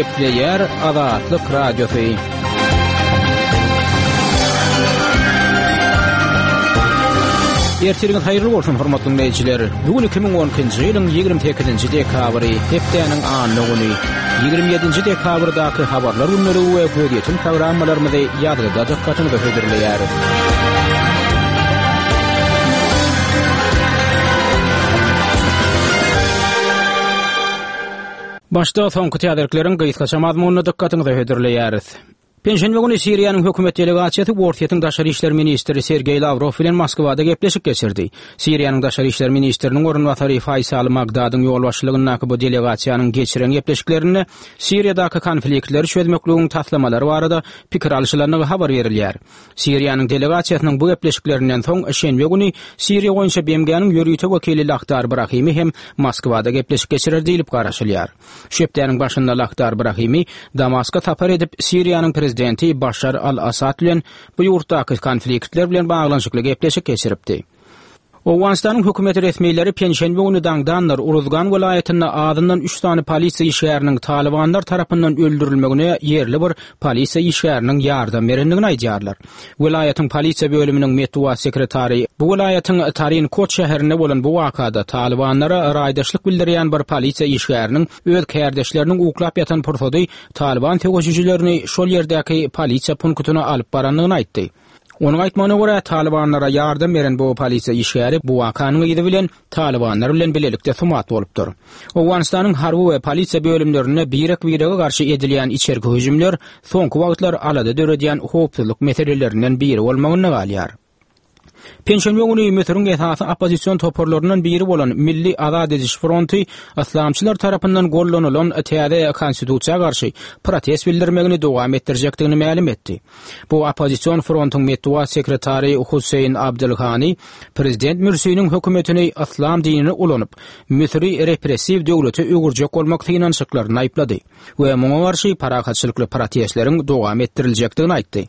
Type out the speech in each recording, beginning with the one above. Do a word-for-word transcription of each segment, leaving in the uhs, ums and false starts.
Gepleýär Azatlyk Radiosy. Ertiriňiz haýyrly bolsun, hormatly dinleýjiler. Bu gün iki müň on ikinji ýylyň ýigrimi sekizinji dekabry, hepdäniň anna güni. Ýigrimi ýedinji dekabrdaky habarlar gündeligi we gözýetim programmalarymyzy ýazgyda dykgatyňyza hödürleýäris. Başda soňky täzelikleriň gysgaça mazmunyny dykgatyňyza hödürleýäris. Penşenbe güni Siriýanyň hökümet delegasiýasy Orsýetiň daşary işler ministri Sergeý Lawrow bilen Moskwada gepleşik geçirdi. Siriýanyň daşary işler ministriniň orunbasary Faýsal Magdadyň ýolbaşçylygyndaky bu delegasiýanyň geçiren gepleşiklerinde Siriýadaky konfliktleri çözmekligiň taslamalary barada pikir alşylandygy habar berilýär. Siriýanyň delegasiýasynyň bu gepleşiklerinden soň şenbe güni Siriýa boýunça B M G-niň ýörite wekili Lakhdar Brahimi hem Moskwada gepleşik geçirer diýlip garaşylýar. Şu hepdäniň başynda Lakhdar Brahimi Damaska sapar edip, Siriýanyň prezidenti Başar al-Assad bilen bu ýurtdaky konfliktler bilen baglanyşykly gepleşik geçiripdi. Owganystanyň hökümet resmileri penşenbe güni daňdanlar Uruzgan welaýatynda azyndan üç sany polisiýa işgäriniň Talibanlar tarapyndan öldürilmegine ýerli bir polisiýa işgäriniň ýardam berendigini aýdýarlar. Welaýatyň polisiýa bölüminiň metbugat sekretary bu welaýatyň Tarin Kot şäherinde bolan bu wakada Talibanlara raýdaşlyk bildirýän bir polisiýa işgäriniň öz kärdeşleriniň uklap ýatan pursady Taliban söweşijilerini şol ýerdäki polisiýa punktyna alyp barandygyny aýtdy. Onuň aýtmagyna görä, Talibanlara ýardam beren bu polisiýa işgäri bu wakanyň yzy bilen Talibanlar bilen bilelikde sumat bolupdyr. Owganystanyň harby we polisiýa bölümlerinde birek-birege garşy edilýän içerki hüjümler soňky wagtlar alada döredýän howpsuzlyk meselelerinden biri bolmagynda galýar. Penşenbe güni Müsüriň esasy oppozision toparlaryndan biri bolan Milli Azat ediş fronty yslamçylar tarapyndan gollanylan täze konstitusiýa garşy protest bildirmegini dowam etdirjekdigini mälim etdi. Bu oppozision frontyň metbugat sekretary Hussein Abdülhani prezident Mürsiniň hökümetini yslam dinini ulanyp, Müsüri repressiw döwlete öwürjek bolmak synanyşyklaryny aýyplady we muňa garşy parahatçylykly protestleriň dowam etdiriljekdigini aýtdy.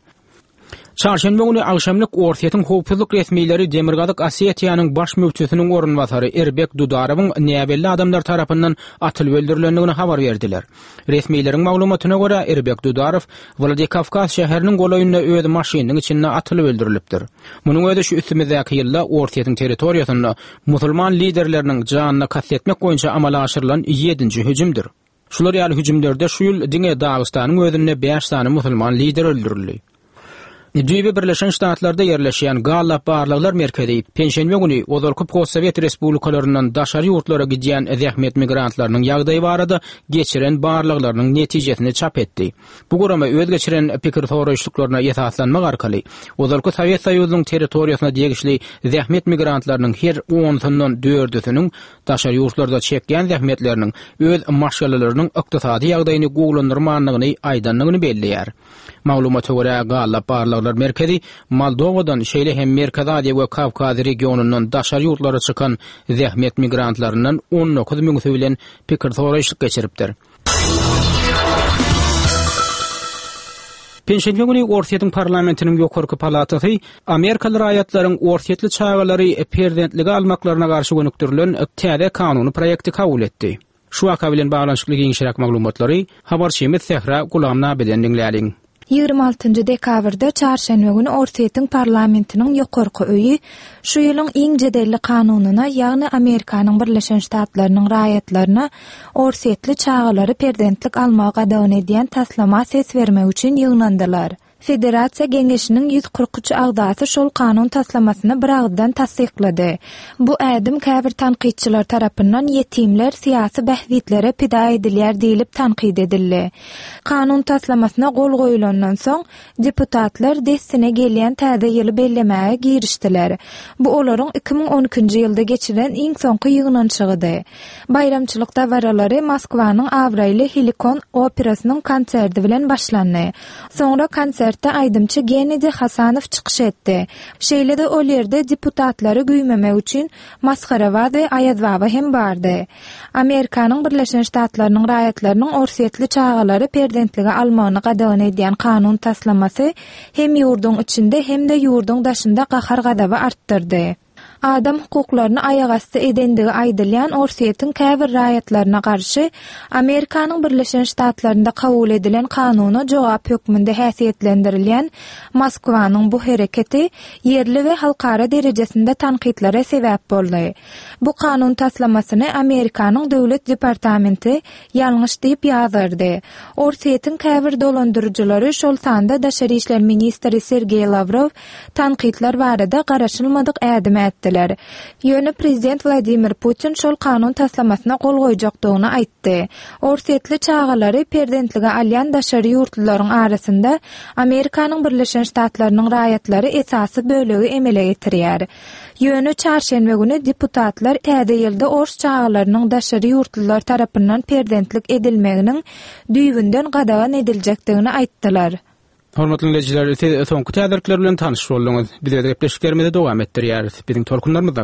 Çarşenbe güni agşamlyk Orsýetiň howpsuzlyk resmileri Demirgazyk Osetiýanyň baş müftüsiniň orunbasary Erbek Dudarowyň näbelli adamlar tarapyndan atylyp öldürilendigini habar berdiler. Resmileriň maglumatyna görä, Erbek Dudarow Wladikawkaz şäheriniň golaýynda öz maşynynyň içinde atylyp öldürilipdir. Munuň özi şu üstümizdäki ýylda Orsýetiň territoriýasynda musulman liderleriniň janyna kast etmek boýunça amala aşyrylan ýedinji hüjümdir. Şular ýaly hüjümlerde şu ýyl diňe Dagystanyň özünde bäş sany musulman lider öldürildi. Düýbi Birleşen Ştatlarda ýerleşýän Gallup Barlaglar Merkezi penşenbe güni ozalky postsovet respublikalaryndan daşary ýurtlara gidýän zähmet migrantlarynyň ýagdaýy barada geçiren barlaglarynyň netijesini çap etdi. Bu gurama öz geçiren pikir soraýyşlyklaryna esaslanmak arkaly ozalky Sowet Soýuzynyň territoriýasyna degişli zähmet migrantlarynyň her onsundan dördüsiniň daşary ýurtlarda çekýän zähmetleriniň öz maşgalalarynyň ykdysady ýagdaýyny gowulandyrmandygyny aýdandygyny belleýär. Maglumata görä, Gallup Barlaglar Merkezi Moldowadan, şeýle hem Merkezi Aziýa we Kawkaz regionyndan daşary ýurtlara çykan zähmet migrantlaryndan on dokuz müňüsi bilen pikir soraýyşlyk geçiripdir. Penşenbe güni Orsýetiň parlamentiniň ýokarky palatasy Amerikaly raýatlaryň orsýetli çagalary perzentlige almaklaryna garşy gönükdirilen täze kanuny proýekti kabul etdi. Şu waka bilen baglanyşykly giňişräk maglumatlary habarçymyz Sähra Gulamnabiden diňläliň. Ýigrimi altynjy dekabrda çarşenbe güni Orsýetiň parlamentiniň ýokarky öýi şu ýylyň iň jedelli kanunyna, ýagny Amerikanyň Birleşen Ştatlarynyň raýatlaryna orsýetli çagalary perzentlik almagy gadagan edýän taslama ses bermek üçin ýygnandylar. Federasiýa Geňeşiniň ýüz kyrk üç agzasy şol kanun taslamasyny bir agyzdan tassyklady. Bu ädim käbir tankytçylar tarapyndan ýetimler syýasy bähbitlere pida edilýär diýlip tankyt edildi. Kanun taslamasyna gol goýulandan soň deputatlar dessine gelýän täze ýyly bellemäge girişdiler. Bu olaryň iki müň on ikinji ýylda geçirilen iň soňky ýygnanyşygydy. Baýramçylyk dabaralary Moskwanyň abraýly Helikon operasynyň konserti bilen başlandy. Soňra konsertde aýdymçy Gennadiy Hasanow çykyş etdi. Şeýle-de ol ýerde deputatlary güýmemek üçin Masgarabaz we Aýazbaba hem bardy. Amerikanyň Birleşen Ştatlarynyň raýatlarynyň orsýetli çagalary perzentlige almagyny gadagan edýän kanun taslamasy hem ýurduň içinde hem-de ýurduň daşynda gahar-gazaby artdyrdy. Adam hukuklaryny aýagasty edendigi aýdylýan Orsýetiň käbir raýatlaryna garşy Amerikanyň Birleşen Ştatlarynda kabul edilen kanuna jogap hökmünde häsiýetlendirilýän Moskwanyň bu hereketi ýerli we halkara derejesinde tankytlara sebäp boldy. Bu kanun taslamasyny Amerikanyň Döwlet departamenti ýalňyş diýip ýazgardy. Orsýetiň käbir dolandyryjylary, şol sanda daşary işler ministri Sergeý Lawrow tankytlar barada garaşylmadyk ädim ätdiler. Ýöne prezident Wladimir Putin şol kanun taslamasyna gol goýjakdygyny aýtdy. Orsýetli çagalary perzentlige alýan daşary ýurtlularyň arasynda Amerikanyň Birleşen Ştatlarynyň raýatlary esasy bölegi emele getirýär. Ýöne çarşenbe güni deputatlar täze ýylda ors çagalarynyň daşary ýurtlular tarapyndan perzentlik edilmeginiň düýbünden gadagan ediljekdigini aýtdylar. Hormatly dinleýjiler, siz soňky täzelikler bilen tanyş bolduňyz. Biz öz gepleşiklerimizi dowam etdirýäris. Biziň tolkunlarymyzda.